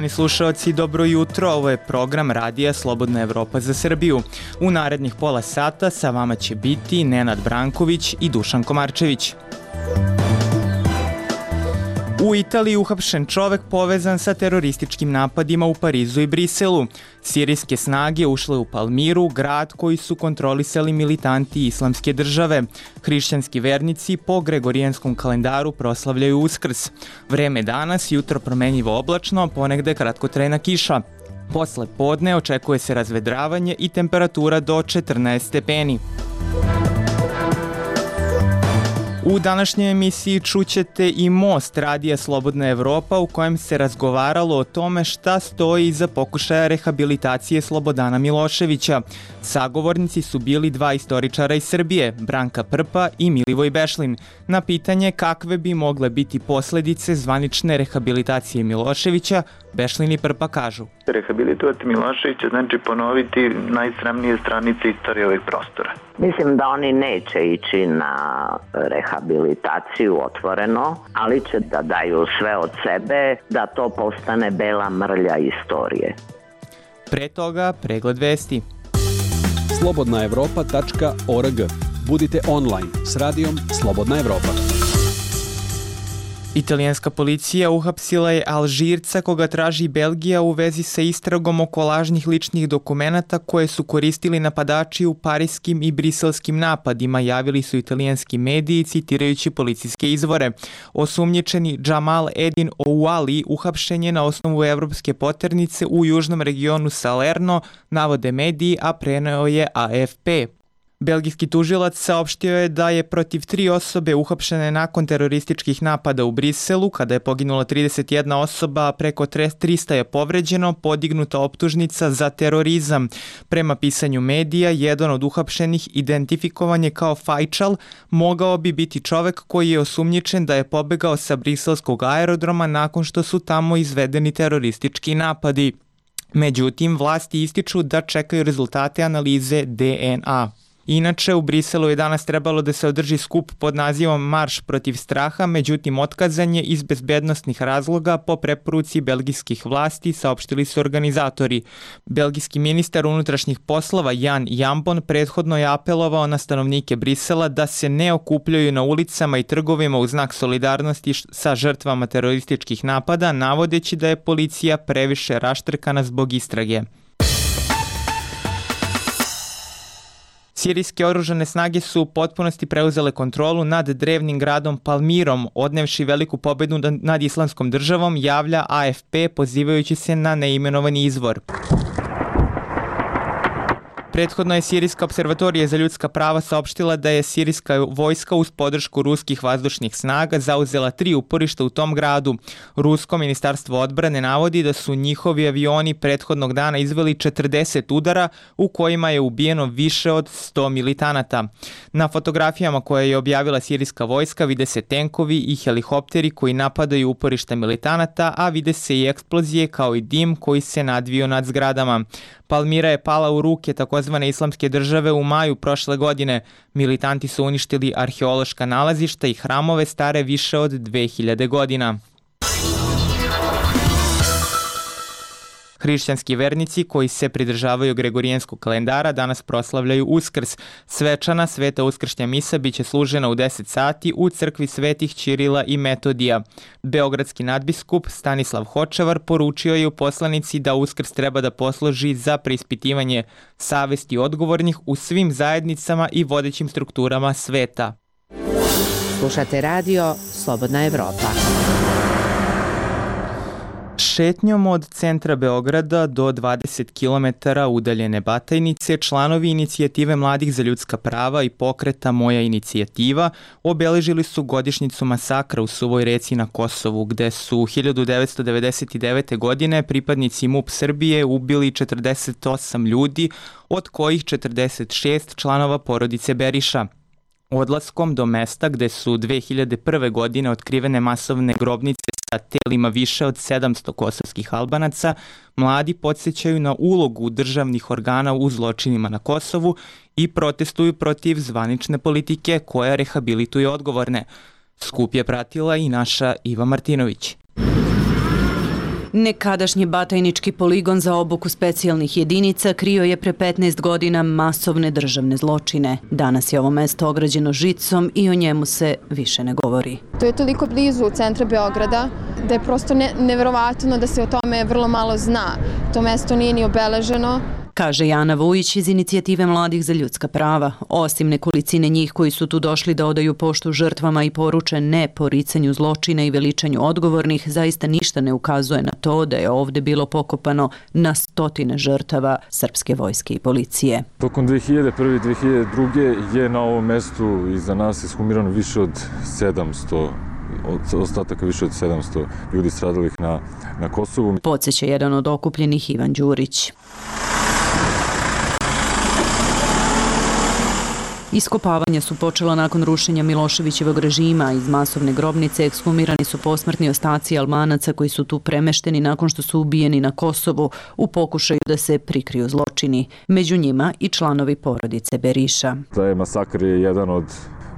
Poštovani slušaoci, dobro jutro, ovo je program Radija Slobodna Evropa za Srbiju. U narednih pola sata sa vama će biti Nenad Branković i Dušan Komarčević. U Italiji uhapšen čovek povezan sa terorističkim napadima u Parizu i Briselu. Sirijske snage ušle u Palmiru, grad koji su kontrolisali militanti Islamske države. Hrišćanski vernici po gregorijanskom kalendaru proslavljaju Uskrs. Vreme danas, jutro promenjivo oblačno, ponegde kratkotrajna kiša. Posle podne očekuje se razvedravanje i temperatura do 14 stepeni. U današnjoj emisiji čućete i Most Radija Slobodna Evropa u kojem se razgovaralo o tome šta stoji iza pokušaja rehabilitacije Slobodana Miloševića. Sagovornici su bili dva istoričara iz Srbije, Branka Prpa i Milivoj Bešlin. Na pitanje kakve bi mogle biti posledice zvanične rehabilitacije Miloševića, Bešlin i Prpa kažu. Rehabilitovati Miloševića znači ponoviti najsramnije stranice istorije ovih prostora. Mislim da oni neće ići na rehabilitaciju otvoreno, ali će da daju sve od sebe da to postane bela mrlja istorije. Pre toga pregled vesti. slobodnaevropa.org. Budite online s radijom Slobodna Evropa. Italijanska policija uhapsila je Alžirca koga traži Belgija u vezi sa istragom oko lažnih ličnih dokumenata koje su koristili napadači u parijskim i briselskim napadima, javili su italijanski mediji citirajući policijske izvore. Osumnjičeni Džamal Edin Ouali uhapšen je na osnovu evropske poternice u južnom regionu Salerno, navode mediji, a preneo je AFP. Belgijski tužilac saopštio je da je protiv 3 osobe uhapšene nakon terorističkih napada u Briselu, kada je poginula 31 osoba, a preko 300 je povređeno, podignuta optužnica za terorizam. Prema pisanju medija, jedan od uhapšenih identifikovan je kao Fajčal, mogao bi biti čovek koji je osumnjičen da je pobegao sa briselskog aerodroma nakon što su tamo izvedeni teroristički napadi. Međutim, vlasti ističu da čekaju rezultate analize DNA. Inače, u Briselu je danas trebalo da se održi skup pod nazivom Marš protiv straha, međutim otkazan je iz bezbednostnih razloga po preporuci belgijskih vlasti, saopštili su organizatori. Belgijski ministar unutrašnjih poslova Jan Jambon prethodno je apelovao na stanovnike Brisela da se ne okupljaju na ulicama i trgovima u znak solidarnosti sa žrtvama terorističkih napada, navodeći da je policija previše raštrkana zbog istrage. Sirijske oružane snage su u potpunosti preuzele kontrolu nad drevnim gradom Palmirom, odnevši veliku pobedu nad Islamskom državom, javlja AFP pozivajući se na neimenovani izvor. Prethodno je Sirijska observatorija za ljudska prava saopštila da je sirijska vojska uz podršku ruskih vazdušnih snaga zauzela 3 uporišta u tom gradu. Rusko ministarstvo odbrane navodi da su njihovi avioni prethodnog dana izveli 40 udara u kojima je ubijeno više od 100 militanata. Na fotografijama koje je objavila sirijska vojska vide se tenkovi i helikopteri koji napadaju uporišta militanata, a vide se i eksplozije kao i dim koji se nadvio nad zgradama. Palmira je pala u ruke takozvane Islamske države u maju prošle godine. Militanti su uništili arheološka nalazišta i hramove stare više od 2000 godina. Hrišćanski vernici koji se pridržavaju gregorijanskog kalendara danas proslavljaju Uskrs. Svečana sveta uskršnja misa biće služena u 10 sati u crkvi svetih Ćirila i Metodija. Beogradski nadbiskup Stanislav Hočevar poručio je u poslanici da Uskrs treba da posluži za preispitivanje savesti odgovornih u svim zajednicama i vodećim strukturama sveta. Slušate radio Slobodna Evropa. Šetnjom od centra Beograda do 20 km udaljene Batajnice, članovi inicijative Mladih za ljudska prava i pokreta Moja inicijativa obeležili su godišnjicu masakra u Suvoj Reci na Kosovu, gde su 1999. godine pripadnici MUP Srbije ubili 48 ljudi, od kojih 46 članova porodice Beriša. Odlaskom do mesta gde su 2001. godine otkrivene masovne grobnice sa telima više od 700 kosovskih Albanaca, mladi podsjećaju na ulogu državnih organa u zločinima na Kosovu i protestuju protiv zvanične politike koja rehabilituje odgovorne. Skup je pratila i naša Iva Martinović. Nekadašnji batajnički poligon za obuku specijalnih jedinica krio je pre 15 godina masovne državne zločine. Danas je ovo mesto ograđeno žicom i o njemu se više ne govori. To je toliko blizu centra Beograda da je prosto neverovatno da se o tome vrlo malo zna. To mesto nije ni obeleženo. Kaže Jana Vujić iz Inicijative mladih za ljudska prava. Osim nekolicine njih koji su tu došli da odaju poštu žrtvama i poruče ne poricanju zločina i veličanju odgovornih, zaista ništa ne ukazuje na to da je ovde bilo pokopano na stotine žrtava srpske vojske i policije. Tokom 2001. i 2002. je na ovom mestu iza nas ishumirano više od 700 ostataka više od 700 ljudi stradalih na Kosovu. Podsjeća jedan od okupljenih Ivan Đurić. Iskopavanja su počela nakon rušenja Miloševićevog režima. Iz masovne grobnice ekshumirani su posmrtni ostaci Albanaca koji su tu premešteni nakon što su ubijeni na Kosovu u pokušaju da se prikriju zločini. Među njima i članovi porodice Beriša. Taj masakr je jedan od,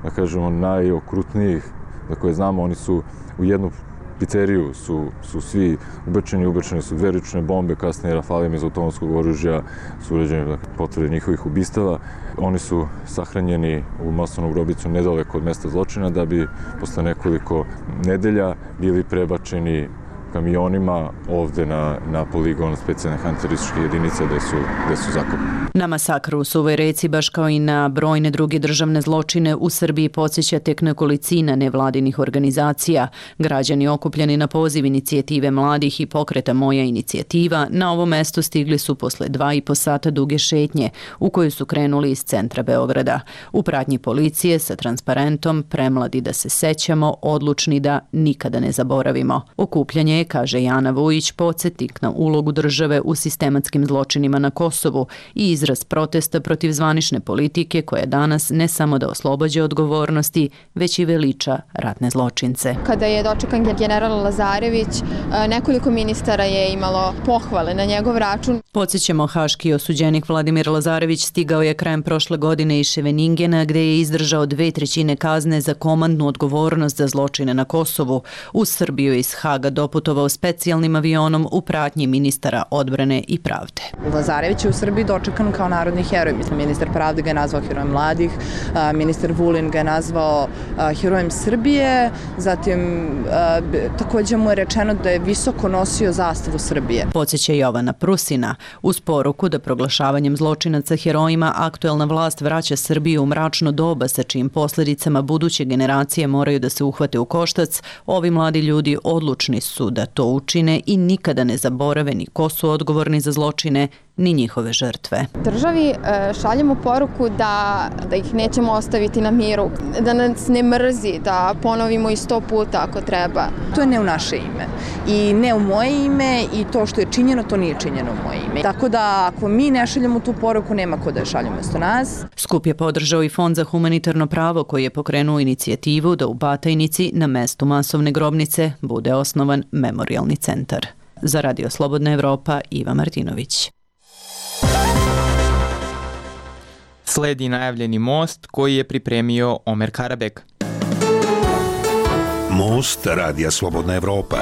da kažemo, najokrutnijih za koje znamo. Oni su u jednu pizzeriju su svi ubečeni su dve ručne bombe, kasnije rafalijem iz automatskog oružja su urađene potvrde njihovih ubistava. Oni su sahranjeni u masovnu grobicu nedaleko od mesta zločina da bi posle nekoliko nedelja bili prebačeni kamionima ovde na poligon specijalnih antiterorističkih jedinica gde su zakopani. Na masakru u Suvoj Reci, baš kao i na brojne druge državne zločine, u Srbiji podsjeća tek nekolicina nevladinih organizacija. Građani okupljeni na poziv Inicijative mladih i pokreta Moja inicijativa na ovo mesto stigli su posle 2,5 sata duge šetnje u koju su krenuli iz centra Beograda. U pratnji policije sa transparentom Premladi da se sećamo, odlučni da nikada ne zaboravimo. Okupljanje je, kaže Jana Vujić, podsjetnik na ulogu države u sistematskim zločinima na Kosovu i izraz protesta protiv zvanične politike koja danas ne samo da oslobađa odgovornosti, već i veliča ratne zločince. Kada je dočekan general Lazarević, nekoliko ministara je imalo pohvale na njegov račun. Podsjećamo, haški osuđenik Vladimir Lazarević stigao je krajem prošle godine iz Ševeningena gde je izdržao 2/3 kazne za komandnu odgovornost za zločine na Kosovu. U Srbiju iz Haga doputovao specijalnim avionom u pratnji ministara odbrane i pravde. Lazarević je u Srbiji dočekan kao narodni heroj. Mislim, ministar pravde ga je nazvao herojem mladih, ministar Vulin ga je nazvao herojem Srbije, zatim također mu je rečeno da je visoko nosio zastavu Srbije. Podsjeća Jovana Prusina uz poruku da proglašavanjem zločinaca herojima aktuelna vlast vraća Srbiju u mračno doba sa čijim posljedicama buduće generacije moraju da se uhvate u koštac. Ovi mladi ljudi odlučni su da to učine i nikada ne zaborave ni ko su odgovorni za zločine, ni njihove žrtve. Državi šaljemo poruku da ih nećemo ostaviti na miru, da nas ne mrzi, da ponovimo i 100 puta ako treba. To je ne u naše ime i ne u moje ime i to što je činjeno, to nije činjeno u moje ime. Tako da ako mi ne šaljemo tu poruku, nema ko da je šalje mjesto nas. Skup je podržao i Fond za humanitarno pravo koji je pokrenuo inicijativu da u Batajnici na mestu masovne grobnice bude osnovan memorijalni centar. Za Radio Slobodna Evropa, Iva Martinović. Sledi najavljeni most koji je pripremio Omer Karabek. Most Radija Slobodna Evropa.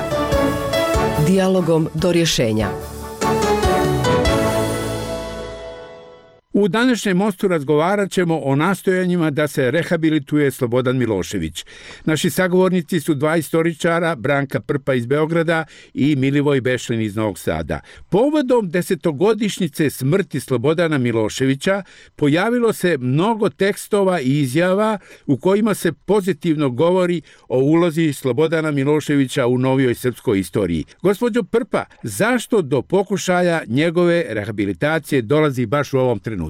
Dijalogom do rješenja. U današnjem mostu razgovarat ćemo o nastojanjima da se rehabilituje Slobodan Milošević. Naši sagovornici su dva istoričara, Branka Prpa iz Beograda i Milivoj Bešlin iz Novog Sada. Povodom 10-godišnjice smrti Slobodana Miloševića pojavilo se mnogo tekstova i izjava u kojima se pozitivno govori o ulozi Slobodana Miloševića u novijoj srpskoj istoriji. Gospođo Prpa, zašto do pokušaja njegove rehabilitacije dolazi baš u ovom trenutku?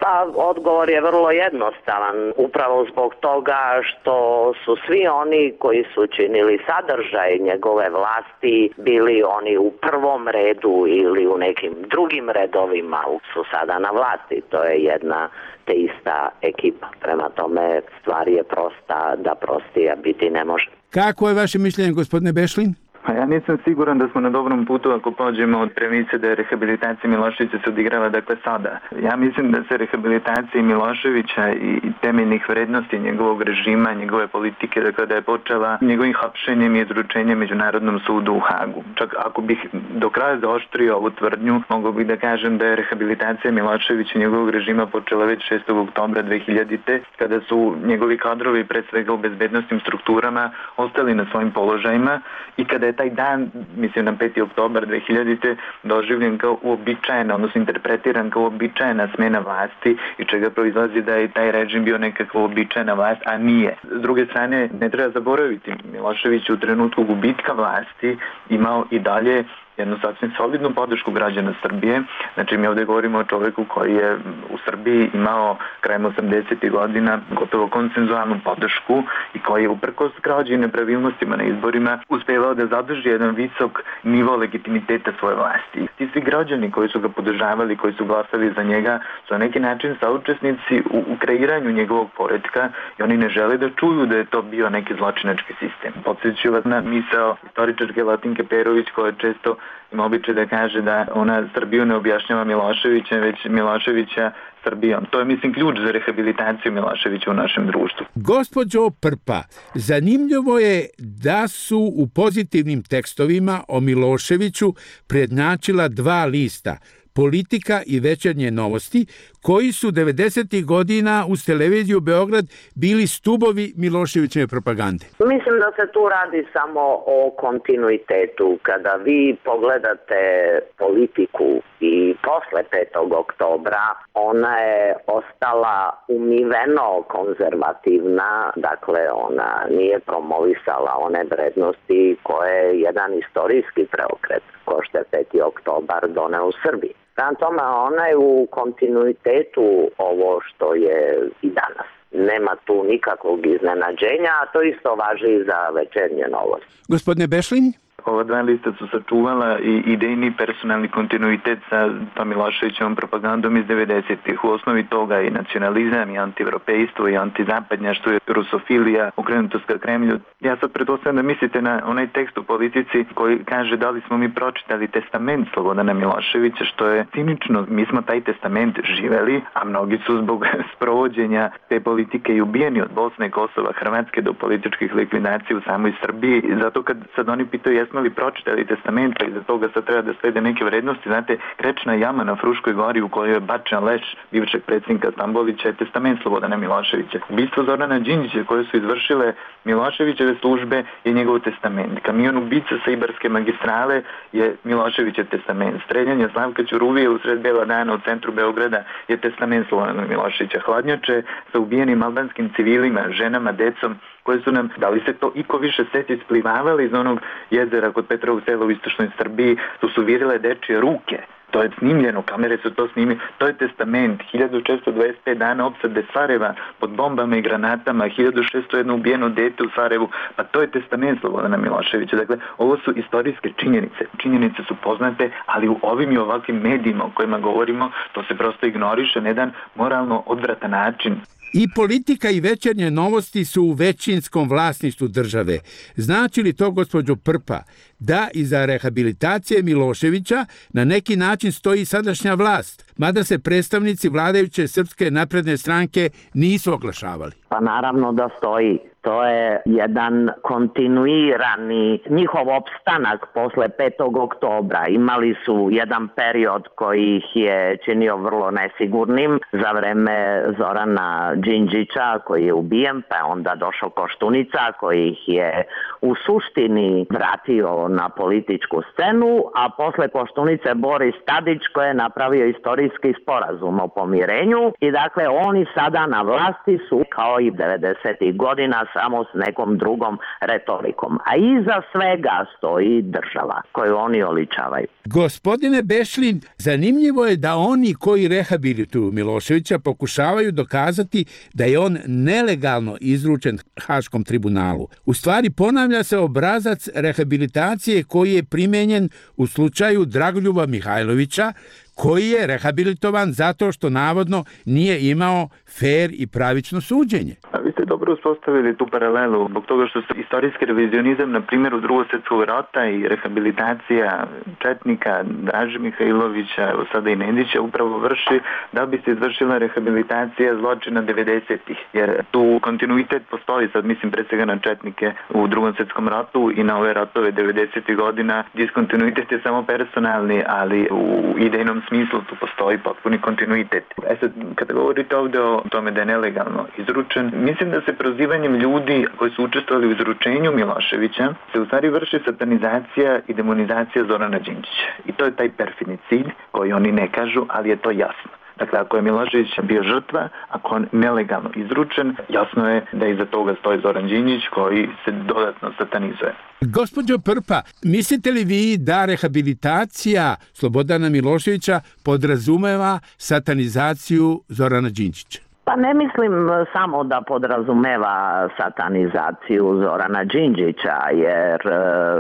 Pa odgovor je vrlo jednostavan, upravo zbog toga što su svi oni koji su činili sadržaj njegove vlasti bili oni u prvom redu ili u nekim drugim redovima su sada na vlasti. To je jedna te ista ekipa. Prema tome stvar je prosta da prostija biti ne može. Kako je vaše mišljenje, gospodine Bešlin? Ja nisam siguran da smo na dobrom putu ako pođemo od premise da je rehabilitacija Miloševića se odigrava sada. Ja mislim da se rehabilitacija Miloševića i temeljnih vrednosti njegovog režima, njegove politike, da je počela njegovim hapšenjem i izručenjem Međunarodnom sudu u Hagu. Čak ako bih do kraja zaoštrio ovu tvrdnju, mogu bih da kažem da je rehabilitacija Miloševića i njegovog režima počela već 6. oktobra 2000. kada su njegovi kadrovi, pre svega u bezbednosnim strukturama, ostali na svojim položajima i kada je taj dan, mislim na 5. oktobar 2000. doživljen kao uobičajena, odnosno interpretiran kao uobičajena smena vlasti i čega proizlazi da je taj režim bio nekakva uobičajena vlast, a nije. S druge strane, ne treba zaboraviti, Milošević u trenutku gubitka vlasti imao i dalje jednu sasvim solidnu podršku građana Srbije. Znači, mi ovdje govorimo o čoveku koji je u Srbiji imao krajem 80. godina gotovo konsenzualnu podršku i koji je uprkos krađi i nepravilnostima na izborima uspevao da zadrži jedan visok nivo legitimiteta svoje vlasti. Ti svi građani koji su ga podržavali, koji su glasali za njega, su na neki način saučesnici u kreiranju njegovog poretka i oni ne žele da čuju da je to bio neki zločinački sistem. Podsjeću vas na misao istoričarke Latinke Perović koja često ima običaj da kaže da ona Srbiju ne objašnjava Miloševića, već Miloševića Srbijom. To je, mislim, ključ za rehabilitaciju Miloševića u našem društvu. Gospođo Prpa, zanimljivo je da su u pozitivnim tekstovima o Miloševiću prednjačila dva lista, Politika i Večernje novosti, koji su 90. godina uz televiziju Beograd bili stubovi Miloševićeve propagande. Mislim da se tu radi samo o kontinuitetu. Kada vi pogledate Politiku i posle 5. oktobra, ona je ostala umiveno konzervativna, dakle ona nije promovisala one vrednosti koje je jedan istorijski preokret, ko što je 5. oktobar doneo u Srbiji. Prema tome, ona je u kontinuitetu ovo što je i danas. Nema tu nikakvog iznenađenja, a to isto važi i za Večernje novosti. Gospodine Bešlin? Ova dva lista su sačuvala i idejni personalni kontinuitet sa Miloševićevom propagandom iz 90-ih. U osnovi toga i nacionalizam, i antievropejstvo, i antizapadnjaštvo, i rusofilija, okrenutost ka Kremlju. Ja sad pretpostavljam da mislite na onaj tekst u Politici koji kaže da li smo mi pročitali testament Slobodana Miloševića, što je cinično. Mi smo taj testament živeli, a mnogi su zbog sprovođenja te politike i ubijeni od Bosne, Kosova, Hrvatske do političkih likvidacija u samoj Srbiji. Zato kad sad oni pitaju jesmo li pročitali testament, pa iza toga sad treba da slede neke vrednosti. Znate, krečna jama na Fruškoj gori u kojoj je bačen leš bivšeg predsjednika Stambolića je testament Slobodana Miloševića. Ubistvo Zorana Đinđića koje su izvršile Miloševićeve službe je njegov testament. Kamion ubica sa Ibarske magistrale je Miloševićev testament. Streljanje Slavka Ćuruvije u sred bela dana u centru Beograda je testament Slobodana Miloševića. Hladnjače sa ubijenim albanskim civilima, ženama, decom, koje su nam, da li se to iko više seti, isplivavali iz onog jezera kod Petrovog sela u istočnoj Srbiji, su virile dečije ruke. To je snimljeno, kamere su to snimili. To je testament. 1625 dana opsade Sarajeva pod bombama i granatama, 1601 ubijeno dete u Sarajevu, pa to je testament Slobodana Miloševića. Dakle, ovo su istorijske činjenice. Činjenice su poznate, ali u ovim i ovakvim medijima o kojima govorimo, to se prosto ignoriše na jedan moralno odvratan način. I Politika i Večernje novosti su u većinskom vlasništvu države. Znači li to, gospođo Prpa, da iza rehabilitacije Miloševića na neki način stoji sadašnja vlast, mada se predstavnici vladajuće Srpske napredne stranke nisu oglašavali? Pa naravno da stoji. To je jedan kontinuirani njihov opstanak posle 5. oktobra. Imali su jedan period koji ih je činio vrlo nesigurnim za vreme Zorana Đinđića koji je ubijen, pa je onda došao Koštunica koji ih je u suštini vratio na političku scenu, a posle Koštunice Boris Tadić koji je napravio istorijski sporazum o pomirenju i dakle oni sada na vlasti su kao i 90. godina samo s nekom drugom retorikom. A iza svega stoji država koju oni oličavaju. Gospodine Bešlin, zanimljivo je da oni koji rehabilituju Miloševića pokušavaju dokazati da je on nelegalno izručen Haškom tribunalu. U stvari ponavlja se obrazac rehabilitacije koji je primenjen u slučaju Dragoljuba Mihajlovića, koji je rehabilitovan zato što navodno nije imao fer i pravično suđenje. Vi ste dobro uspostavili tu paralelu zbog toga što se istorijski revizionizam na primjeru Drugog svjetskog rata i rehabilitacija četnika Draže Mihajlovića, evo sada i Nedića, upravo vrši da bi se izvršila rehabilitacija zločina 90-ih. Jer tu kontinuitet postoji, sad mislim pre svega na četnike u Drugom svjetskom ratu i na ove ratove 90-ih godina. Diskontinuitet je samo personalni, ali u idejnom smislu tu postoji potpuni kontinuitet. Sad, kada govorite ovdje o tome da je nelegalno izručen, mislim da se prozivanjem ljudi koji su učestvovali u izručenju Miloševića se u stvari vrši satanizacija i demonizacija Zorana Đinđića. I to je taj perfidni cilj koji oni ne kažu, ali je to jasno. Dakle, ako je Milošević bio žrtva, ako on nelegalno izručen, jasno je da iza toga stoji Zoran Đinđić koji se dodatno satanizuje. Gospođo Prpa, mislite li vi da rehabilitacija Slobodana Miloševića podrazumeva satanizaciju Zorana Đinđića? Pa ne mislim samo da podrazumeva satanizaciju Zorana Đinđića, jer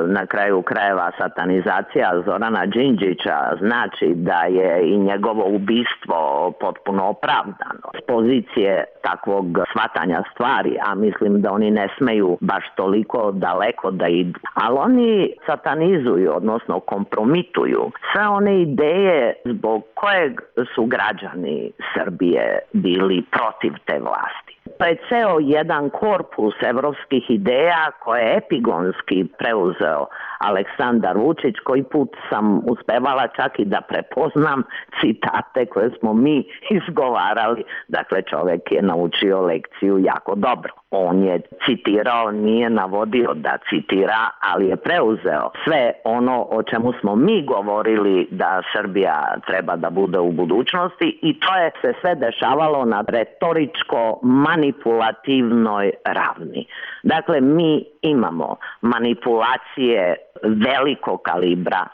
na kraju krajeva satanizacija Zorana Đinđića znači da je i njegovo ubistvo potpuno opravdano. S pozicije takvog shvatanja stvari, a mislim da oni ne smeju baš toliko daleko da idu. Ali oni satanizuju, odnosno kompromituju sve one ideje zbog kojeg su građani Srbije bili protiv te vlasti. To je ceo jedan korpus evropskih ideja koje je epigonski preuzeo Aleksandar Vučić, koji put sam uspevala čak i da prepoznam citate koje smo mi izgovarali. Dakle, čovjek je naučio lekciju jako dobro. On je citirao, nije navodio da citira, ali je preuzeo sve ono o čemu smo mi govorili da Srbija treba da bude u budućnosti, i to je se sve dešavalo na retoričko-manipulativnoj ravni. Dakle, mi imamo manipulacije velikog kalibra,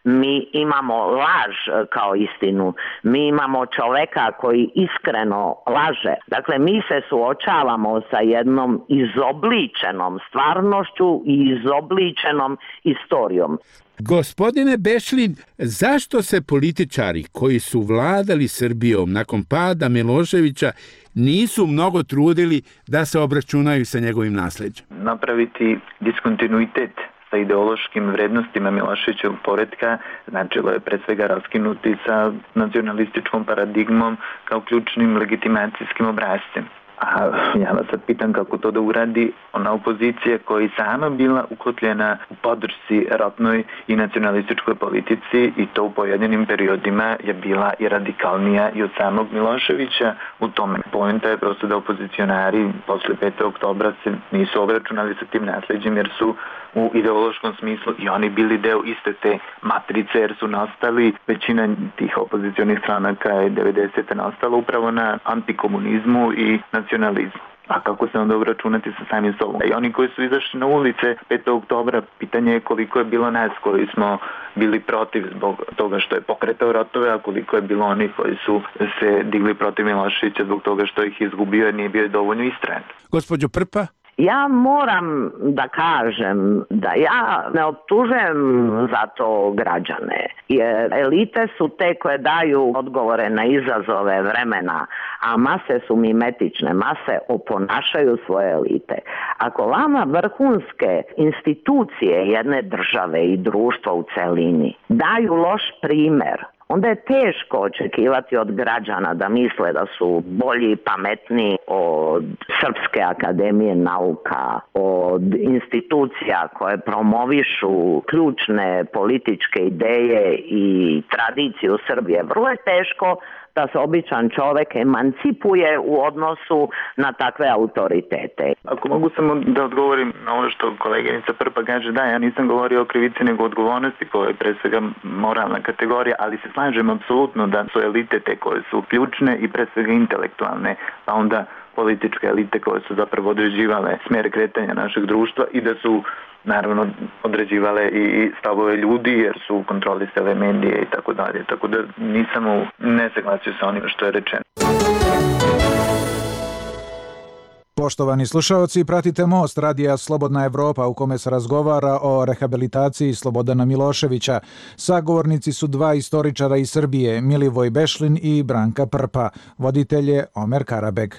mi imamo laž kao istinu, mi imamo čoveka koji iskreno laže. Dakle, mi se suočavamo sa jednom izobličenom stvarnošću i izobličenom istorijom. Gospodine Bešlin, zašto se političari koji su vladali Srbijom nakon pada Miloševića nisu mnogo trudili da se obračunaju sa njegovim nasleđem? Napraviti diskontinuitet sa ideološkim vrednostima Miloševićevog poretka značilo je pre svega raskinuti sa nacionalističkom paradigmom kao ključnim legitimacijskim obrascem. A ja vas sad pitam kako to da uradi ona opozicija koja je sama bila uklopljena u podršci ratnoj i nacionalističkoj politici, i to u pojedinim periodima je bila i radikalnija i od samog Miloševića u tome. Poenta je prosto da opozicionari posle 5. oktobra se nisu obračunali sa tim nasleđem, jer su u ideološkom smislu i oni bili deo iste te matrice, jer su nastali, većina tih opozicionih stranaka je 90. nastala upravo na antikomunizmu i nacionalizmu. A kako se onda obračunati sa samim sobom? I oni koji su izašli na ulice 5. oktobra, pitanje je koliko je bilo nas koji smo bili protiv zbog toga što je pokretao ratove, a koliko je bilo oni koji su se digli protiv Miloševića zbog toga što ih izgubio jer nije bio dovoljno istrajan. Gospođo Prpa? Ja moram da kažem da ja ne optužujem za to građane, jer elite su te koje daju odgovore na izazove vremena, a mase su mimetične, mase oponašaju svoje elite. Ako vama vrhunske institucije jedne države i društva u celini daju loš primer, onda je teško očekivati od građana da misle da su bolji i pametniji od Srpske akademije nauka, od institucija koje promovišu ključne političke ideje i tradiciju Srbije. Vrlo je teško da se običan čovek emancipuje u odnosu na takve autoritete. Ako mogu samo da odgovorim na ono što koleginica Prpa kaže, da, ja nisam govorio o krivici nego odgovornosti koja je pre svega moralna kategorija, ali se slažem apsolutno da su elite te koje su ključne i pre svega intelektualne, pa onda političke elite koje su zapravo određivale smjer kretanja našeg društva i da su naravno određivale i stavove ljudi jer su kontrolisale medije i tako dalje. Tako da nisam u nesaglasju sa onim što je rečeno. Poštovani slušaoci, pratite Most radija Slobodna Evropa u kome se razgovara o rehabilitaciji Slobodana Miloševića. Sagovornici su dva istoričara iz Srbije, Milivoj Bešlin i Branka Prpa. Voditelj je Omer Karabeg.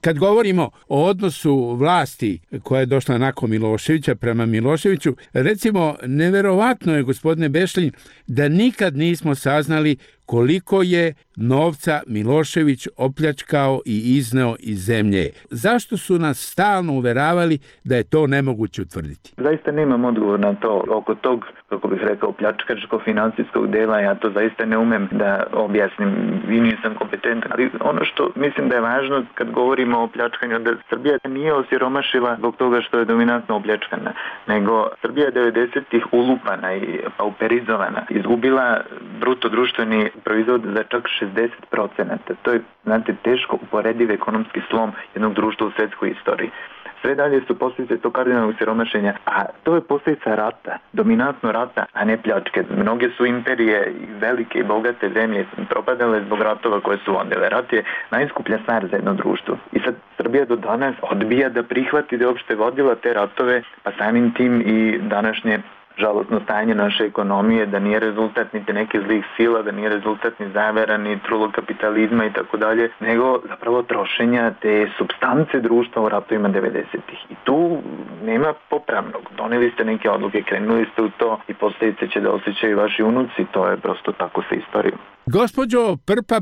Kad govorimo o odnosu vlasti koja je došla nakon Miloševića prema Miloševiću, recimo, neverovatno je, gospodine Bešlin, da nikad nismo saznali koliko je novca Milošević opljačkao i izneo iz zemlje. Zašto su nas stalno uveravali da je to nemoguće utvrditi? Zaista nemam odgovor na to. Oko tog, kako bih rekao, pljačkačko-financijskog dela, ja to zaista ne umem da objasnim i nisam kompetentan. Ali ono što mislim da je važno kad govorimo o pljačkanju, da Srbija nije osiromašila zbog toga što je dominantno opljačkana, nego Srbija je 90-ih ulupana i pauperizovana, izgubila bruto društveni proizvod za čak 60%. To je, znate, teško uporediv ekonomski slom jednog društva u svetskoj istoriji. Sve dalje su posljedice tog kardinalnog siromašenja, a to je posljedica rata, dominantno rata, a ne pljačke. Mnoge su imperije, velike i bogate zemlje propadale zbog ratova koje su vodile. Rat je najskuplja stvar za jedno društvo. I sad Srbija do danas odbija da prihvati da je uopšte vodila te ratove, pa samim tim i današnje žalostno stanje naše ekonomije, da nije rezultat niti neke zlih sila, da nije rezultat ni zavera, ni trulog kapitalizma i tako dalje, nego zapravo trošenja te supstance društva u ratovima 90-ih. I tu nema popravnog. Doneli ste neke odluke, krenuli ste u to i posljedice će da osjećaju vaši unuci, to je prosto tako sa istorijom. Gospođo Prpa,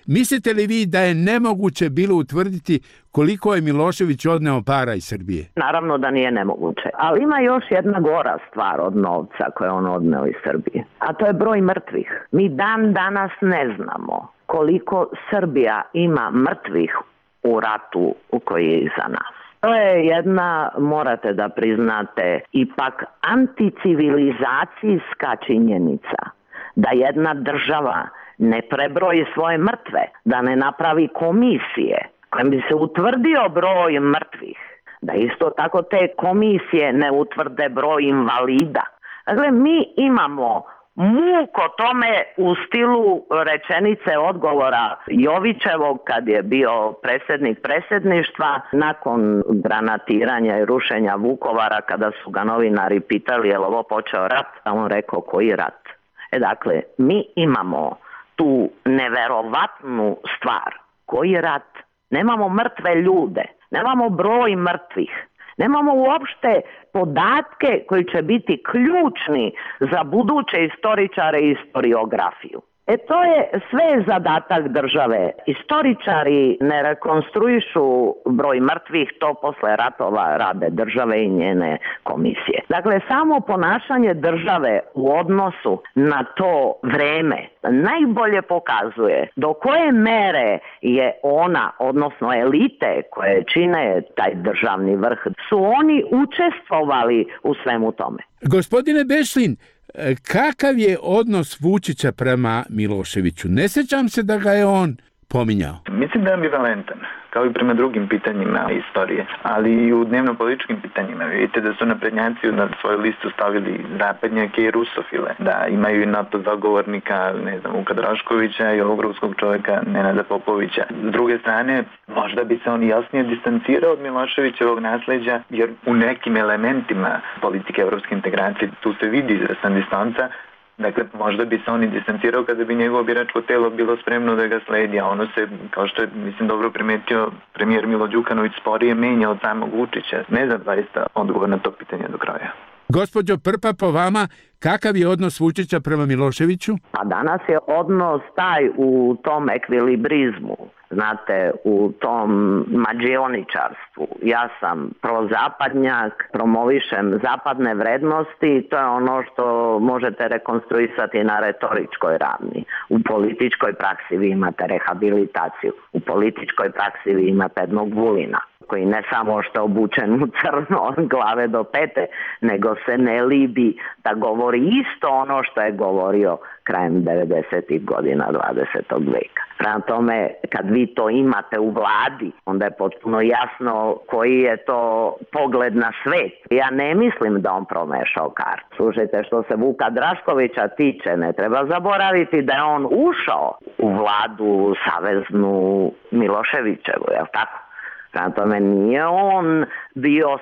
mislite li vi da je nemoguće bilo utvrditi koliko je Milošević odneo para iz Srbije? Naravno da nije nemoguće, ali ima još jedna gora stvar od novca koje on odneo iz Srbije, a to je broj mrtvih. Mi dan danas ne znamo koliko Srbija ima mrtvih u ratu koji je iza nas. To je jedna, morate da priznate, ipak anticivilizacijska činjenica da jedna država ne prebroji svoje mrtve, da ne napravi komisije kojim bi se utvrdio broj mrtvih, da isto tako te komisije ne utvrde broj invalida. Dakle, mi imamo muko tome u stilu rečenice odgovora Jovićevog kad je bio predsjednik predsjedništva nakon granatiranja i rušenja Vukovara, kada su ga novinari pitali je li ovo počeo rat, a on rekao koji rat. Dakle, mi imamo tu neverovatnu stvar. Koji rat? Nemamo mrtve ljude, nemamo broj mrtvih, nemamo uopšte podatke koji će biti ključni za buduće istoričare i historiografiju. To je sve zadatak države. Istoričari ne rekonstruišu broj mrtvih, to posle ratova rade države i njene komisije. Dakle, samo ponašanje države u odnosu na to vreme najbolje pokazuje do koje mere je ona, odnosno elite koje čine taj državni vrh, su oni učestvovali u svemu tome. Gospodine Bešlin, kakav je odnos Vučića prema Miloševiću? Ne sjećam se da ga je on pominjao. Mislim da je ambivalentan, kao i prema drugim pitanjima istorije, ali i u dnevno-političkim pitanjima. Vidite da su naprednjaci na svoju listu stavili zapadnjake i rusofile, da imaju i NATO zagovornika, ne znam, Vuka Draškovića i ovog ruskog čovjeka Nenada Popovića. S druge strane, možda bi se on jasnije distancirao od Miloševićevog nasleđa, jer u nekim elementima politike evropske integracije tu se vidi izvesna distanca. Dakle, možda bi se on i distancirao kada bi njegovo biračko telo bilo spremno da ga sledi, a ono se, kao što je, mislim, dobro primetio premijer Milo Đukanović, sporije menja od samog Vučića. Ne znam zaista odgovor na to pitanje do kraja. Gospođo Prpa, po vama, kakav je odnos Vučića prema Miloševiću? A danas je odnos taj u tom ekvilibrizmu, znate, u tom mađioničarstvu. Ja sam prozapadnjak, promovišem zapadne vrednosti, to je ono što možete rekonstruisati na retoričkoj ravni. U političkoj praksi vi imate rehabilitaciju, u političkoj praksi vi imate jednog Vulina, koji ne samo što je obučen u crno od glave do pete, nego se ne libi da govori isto ono što je govorio krajem 90. godina 20. veka. Prema tome, kad vi to imate u vladi, onda je potpuno jasno koji je to pogled na svet. Ja ne mislim da on promešao kartu. Slušajte, što se Vuka Draškovića tiče, ne treba zaboraviti da je on ušao u vladu saveznu Miloševićevu, je li tako? Kada tome nije on bio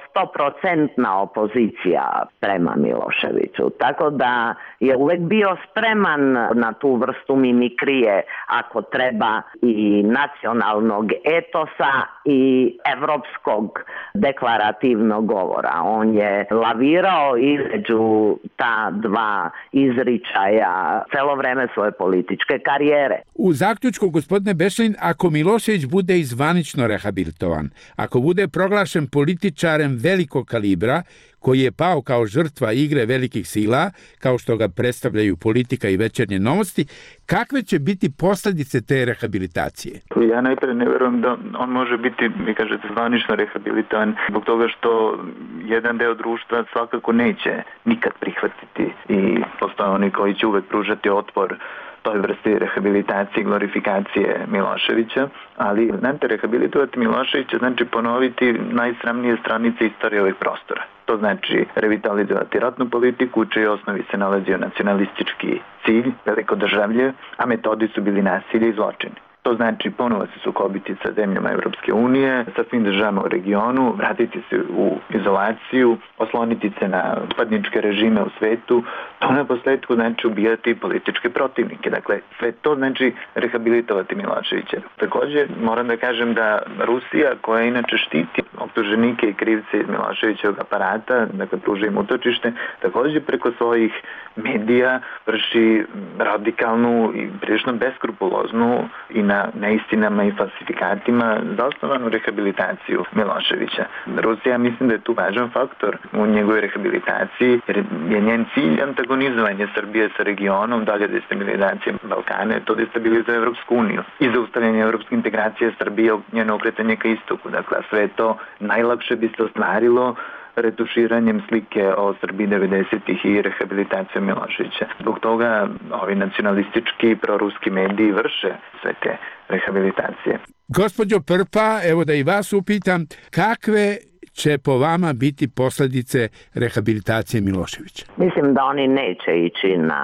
100% opozicija prema Miloševiću, tako da je uvek bio spreman na tu vrstu mimikrije ako treba i nacionalnog etosa i evropskog deklarativnog govora. On je lavirao između ta dva izričaja celo vreme svoje političke karijere. U zaključku, gospodine Bešlin, ako Milošević bude izvanično rehabilitovan, ako bude proglašen političarem velikog kalibra, koji je pao kao žrtva igre velikih sila, kao što ga predstavljaju Politika i Večernje novosti, kakve će biti posljedice te rehabilitacije? Ja najpre ne verujem da on može biti, vi kažete, zvanično rehabilitovan, zbog toga što jedan deo društva svakako neće nikad prihvatiti i postoje oni koji će uvek pružati otpor toj vrsti rehabilitacije i glorifikacije Miloševića, ali znate, rehabilitovati Miloševića znači ponoviti najsramnije stranice istorije ovih prostora. To znači revitalizovati ratnu politiku, u čijoj osnovi se nalazio nacionalistički cilj, velikodržavlje, a metodi su bili nasilje i zločini. To znači ponovo se sukobiti sa zemljama Evropske unije, sa svim državama u regionu, vratiti se u izolaciju, osloniti se na otpadničke režime u svetu. To na posledku znači ubijati političke protivnike. Dakle, sve to znači rehabilitovati Miloševića. Također, moram da kažem da Rusija, koja inače štiti optuženike i krivce iz Miloševićevog aparata, dakle pruža im utočište, također preko svojih medija vrši radikalnu i prilično beskrupuloznu i na neistinama i falsifikatima zasnovanu rehabilitaciju Miloševića. Rusija, mislim da je tu važan faktor u njegovoj rehabilitaciji, jer je njen cilj antagonizovanje Srbije sa regionom, dalje destabilizacija Balkana, to destabilizuje Evropsku uniju i zaustavljanje evropske integracije Srbije, njeno okretanje ka istoku. Dakle, sve to najlakše bi se ostvarilo retuširanjem slike o Srbiji 90-ih i rehabilitacijom Miloševića. Zbog toga ovi nacionalistički proruski mediji vrše sve te rehabilitacije. Gospođo Prpa, evo da i vas upitam, kakve će po vama biti posljedice rehabilitacije Miloševića? Mislim da oni neće ići na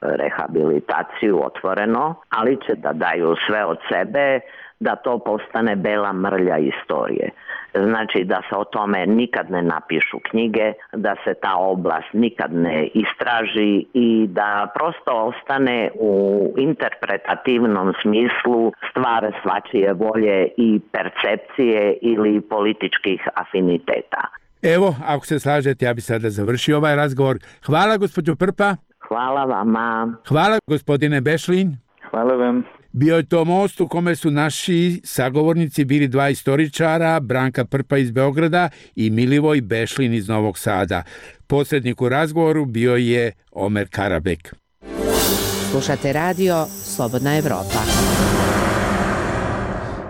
rehabilitaciju otvoreno, ali će da daju sve od sebe da to postane bela mrlja istorije. Znači da se o tome nikad ne napišu knjige, da se ta oblast nikad ne istraži i da prosto ostane u interpretativnom smislu stvar svačije volje i percepcije ili političkih afiniteta. Evo, ako se slažete, ja bi sada završio ovaj razgovor. Hvala, gospođo Prpa. Hvala vama. Hvala, gospodine Bešlin. Hvala vam. Bio je to most u kome su naši sagovornici bili dva istoričara, Branka Prpa iz Beograda i Milivoj Bešlin iz Novog Sada. Posrednik u razgovoru bio je Omer Karabek. Slušate radio Slobodna Evropa.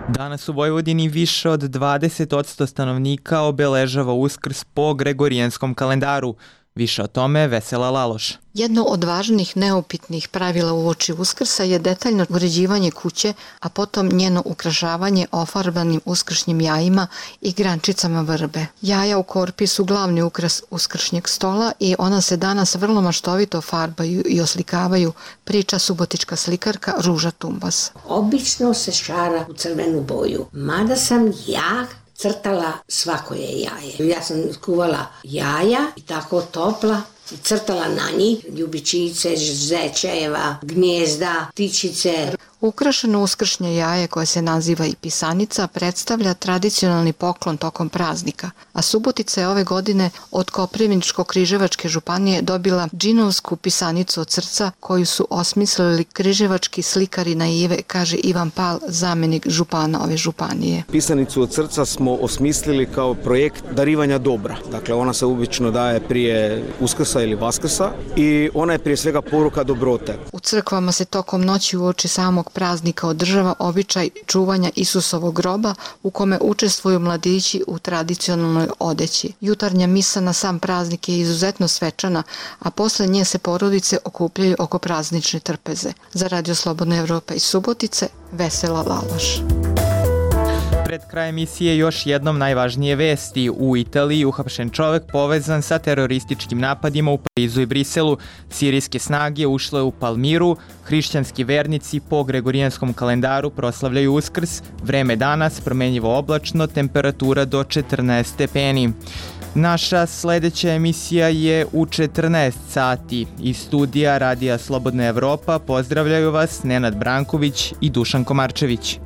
Danas u Vojvodini više od 20% stanovnika obeležava Uskrs po gregorijanskom kalendaru. Više o tome Vesela Laloš. Jedno od važnih neupitnih pravila uoči Uskrsa je detaljno uređivanje kuće, a potom njeno ukrašavanje ofarbanim uskršnjim jajima i grančicama vrbe. Jaja u korpi su glavni ukras uskršnjeg stola i ona se danas vrlo maštovito farbaju i oslikavaju, priča subotička slikarka Ruža Tumbas. Obično se šara u crvenu boju, mada sam ja crtala svako je jaje. Ja sam kuvala jaja i tako topla i crtala na njih ljubičice, zečeva, gnjezda, ptičice. Ukrašeno uskršnje jaje koje se naziva i pisanica predstavlja tradicionalni poklon tokom praznika, a Subotica je ove godine od Koprivničko-Križevačke županije dobila džinovsku pisanicu od srca koju su osmislili križevački slikari naive, kaže Ivan Pal, zamjenik župana ove županije. Pisanicu od srca smo osmislili kao projekt darivanja dobra. Dakle, ona se obično daje prije Uskrsa ili Vaskrsa i ona je prije svega poruka dobrote. U crkvama se tokom noći uoči samog praznika održava običaj čuvanja Isusovog groba u kome učestvuju mladići u tradicionalnoj odeći. Jutarnja misa na sam praznik je izuzetno svečana, a posle nje se porodice okupljaju oko praznične trpeze. Za Radio Slobodna Evropa iz Subotice, Vesela Laloš. pred kraj emisije još jednom najvažnije vesti. U Italiji uhapšen čovek povezan sa terorističkim napadima u Parizu i Briselu. Sirijske snage ušle u Palmiru. Hrišćanski vernici po gregorijanskom kalendaru proslavljaju Uskrs. Vreme danas promenljivo oblačno, temperatura do 14 stepeni. Naša sledeća emisija je u 14 sati. Iz studija Radija Slobodna Evropa pozdravljaju vas Nenad Branković i Dušan Komarčević.